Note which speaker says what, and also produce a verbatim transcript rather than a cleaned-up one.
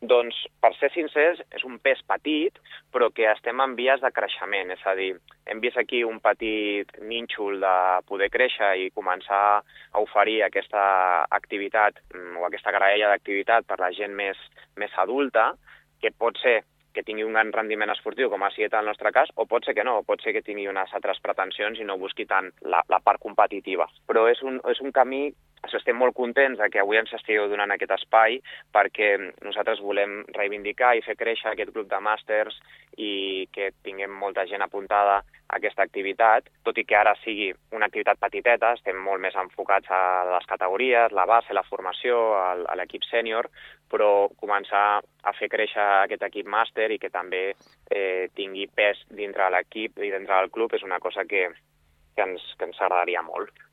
Speaker 1: Doncs, per ser sincers, és un pes petit, però que estem en vies de creixement. És a dir, hem vist aquí un petit nínxol de poder créixer i començar a oferir aquesta activitat o aquesta graella d'activitat per la gent més, més adulta, que pot ser que tingui un gran rendiment esportiu, com ha sigut el nostre cas, o pot ser que no, pot ser que tingui unes altres pretensions i no busqui tant la, la part competitiva. Però és un, és un camí, estem molt contents de que avui ens estigueu donant aquest espai perquè nosaltres volem reivindicar i fer créixer aquest grup de màsters i que tinguem molta gent apuntada a aquesta activitat, tot i que ara sigui una activitat petiteta, estem molt més enfocats a les categories, la base, la formació, a l'equip sènior, però començar a fer créixer aquest equip màster i que també eh, tingui pes dintre l'equip i dintre del club és una cosa que, que, ens, que ens agradaria molt.